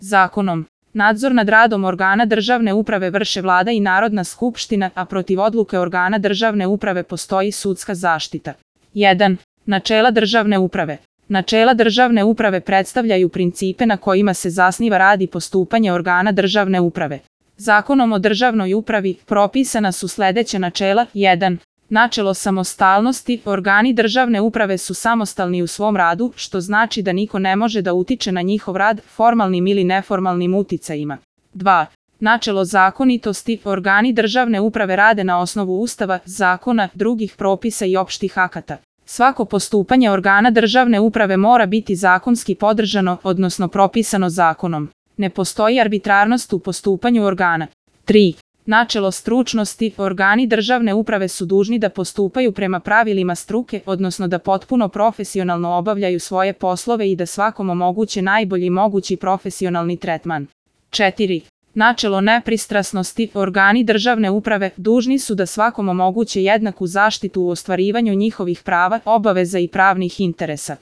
Zakonom. Nadzor nad radom organa državne uprave vrše Vlada i Narodna skupština, a protiv odluke organa državne uprave postoji sudska zaštita. 1. Načela državne uprave. Načela državne uprave predstavljaju principe na kojima se zasniva rad i postupanje organa državne uprave. Zakonom o državnoj upravi propisana su sljedeća načela. 1. Načelo samostalnosti. Organi državne uprave su samostalni u svom radu, što znači da niko ne može da utiče na njihov rad formalnim ili neformalnim uticajima. 2. Načelo zakonitosti. Organi državne uprave rade na osnovu Ustava, zakona, drugih propisa i opštih akata. Svako postupanje organa državne uprave mora biti zakonski podržano, odnosno propisano zakonom. Ne postoji arbitrarnost u postupanju organa. 3. Načelo stručnosti. Organi državne uprave su dužni da postupaju prema pravilima struke, odnosno da potpuno profesionalno obavljaju svoje poslove i da svakom omoguće najbolji mogući profesionalni tretman. 4. Načelo nepristrasnosti. Organi državne uprave dužni su da svakom omoguće jednaku zaštitu u ostvarivanju njihovih prava, obaveza i pravnih interesa.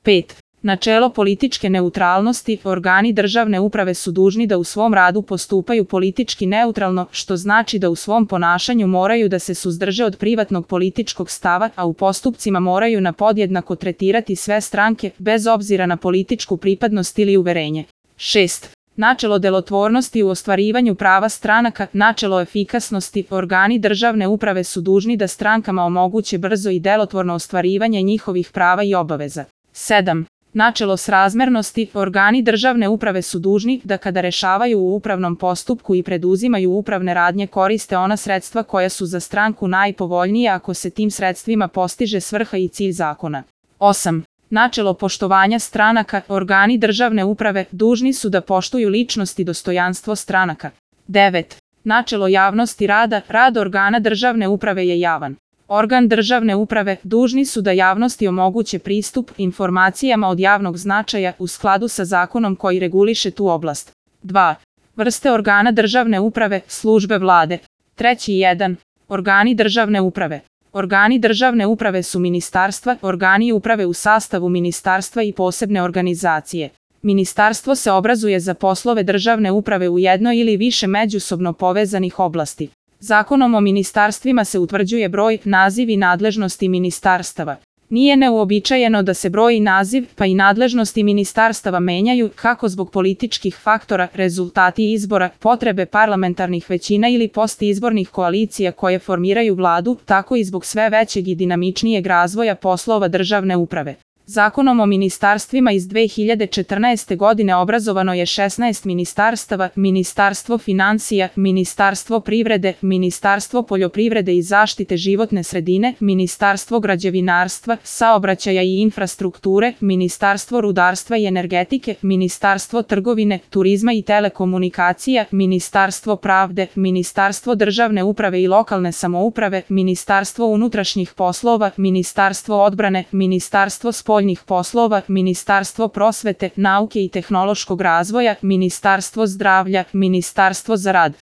5. Načelo političke neutralnosti. Organi državne uprave su dužni da u svom radu postupaju politički neutralno, što znači da u svom ponašanju moraju da se suzdrže od privatnog političkog stava, a u postupcima moraju na podjednako tretirati sve stranke, bez obzira na političku pripadnost ili uverenje. 6. Načelo delotvornosti u ostvarivanju prava stranaka. Načelo efikasnosti. Organi državne uprave su dužni da strankama omoguće brzo i delotvorno ostvarivanje njihovih prava i obaveza. 7. Načelo srazmernosti. Organi državne uprave su dužni da kada rešavaju u upravnom postupku i preduzimaju upravne radnje koriste ona sredstva koja su za stranku najpovoljnija ako se tim sredstvima postiže svrha i cilj zakona. 8. Načelo poštovanja stranaka. Organi državne uprave dužni su da poštuju ličnost i dostojanstvo stranaka. 9. Načelo javnosti rada. Rad organa državne uprave je javan. Organ državne uprave dužni su da javnosti omoguće pristup informacijama od javnog značaja u skladu sa zakonom koji reguliše tu oblast. 2. Vrste organa državne uprave, službe Vlade. 3.1. Organi državne uprave. Organi državne uprave su ministarstva, organi uprave u sastavu ministarstva i posebne organizacije. Ministarstvo se obrazuje za poslove državne uprave u jednoj ili više međusobno povezanih oblasti. Zakonom o ministarstvima se utvrđuje broj, naziv i nadležnosti ministarstava. Nije neuobičajeno da se broj i naziv, pa i nadležnosti ministarstava menjaju, kako zbog političkih faktora, rezultati izbora, potrebe parlamentarnih većina ili postizbornih koalicija koje formiraju vladu, tako i zbog sve većeg i dinamičnijeg razvoja poslova državne uprave. Zakonom o ministarstvima iz 2014. godine obrazovano je 16 ministarstava: Ministarstvo financija, Ministarstvo privrede, Ministarstvo poljoprivrede i zaštite životne sredine, Ministarstvo građevinarstva, saobraćaja i infrastrukture, Ministarstvo rudarstva i energetike, Ministarstvo trgovine, turizma i telekomunikacija, Ministarstvo pravde, Ministarstvo državne uprave i lokalne samouprave, Ministarstvo unutrašnjih poslova, Ministarstvo odbrane, Ministarstvo spoljnih poslova, Ministarstvo prosvete, nauke i tehnološkog razvoja, Ministarstvo zdravlja, Ministarstvo za rad,